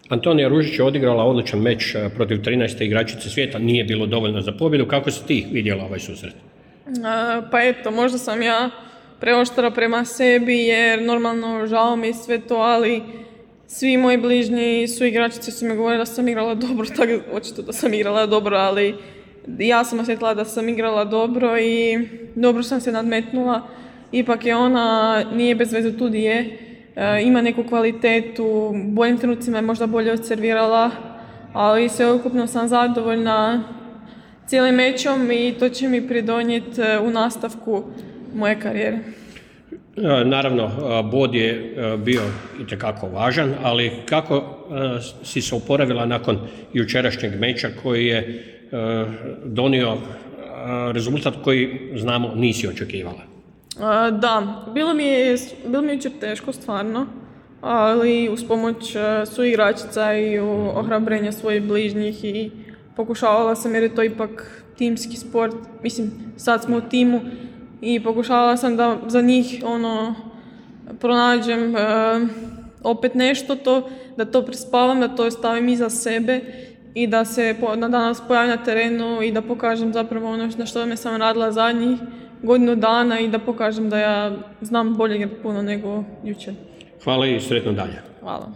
Antonija Ružić je odigrala odličan meč protiv 13. igračice svijeta, nije bilo dovoljno za pobjedu. Kako si ti vidjela ovaj susret? Pa eto, možda sam ja preoštra prema sebi jer normalno žao mi sve to, ali svi moji bližnji su igračice su mi govorili da sam igrala dobro, tako očito da sam igrala dobro, ali ja sam osjetila da sam igrala dobro i dobro sam se nadmetnula. Ipak je ona, nije bez veze tu di je, ima neku kvalitetu, u boljim trenucima je možda bolje odservirala, ali sveukupno sam zadovoljna cijelim mečom i to će mi pridonijeti u nastavku moje karijere. Naravno, bod je bio itekako važan, ali kako si se oporavila nakon jučerašnjeg meča koji je donio rezultat koji, znamo, nisi očekivala? Da, bilo mi je jučer teško stvarno, ali uz pomoć suigračica i ohrabrenja svojih bližnjih i pokušavala sam jer je to ipak timski sport, mislim sad smo u timu i pokušavala sam da za njih pronađem opet nešto da to prespavam, da to stavim iza sebe i da se danas pojavim na terenu i da pokažem zapravo ono na što me sam radila zadnjih godinu dana i da pokažem da ja znam bolje puno nego jučer. Hvala i sretno dalje. Hvala.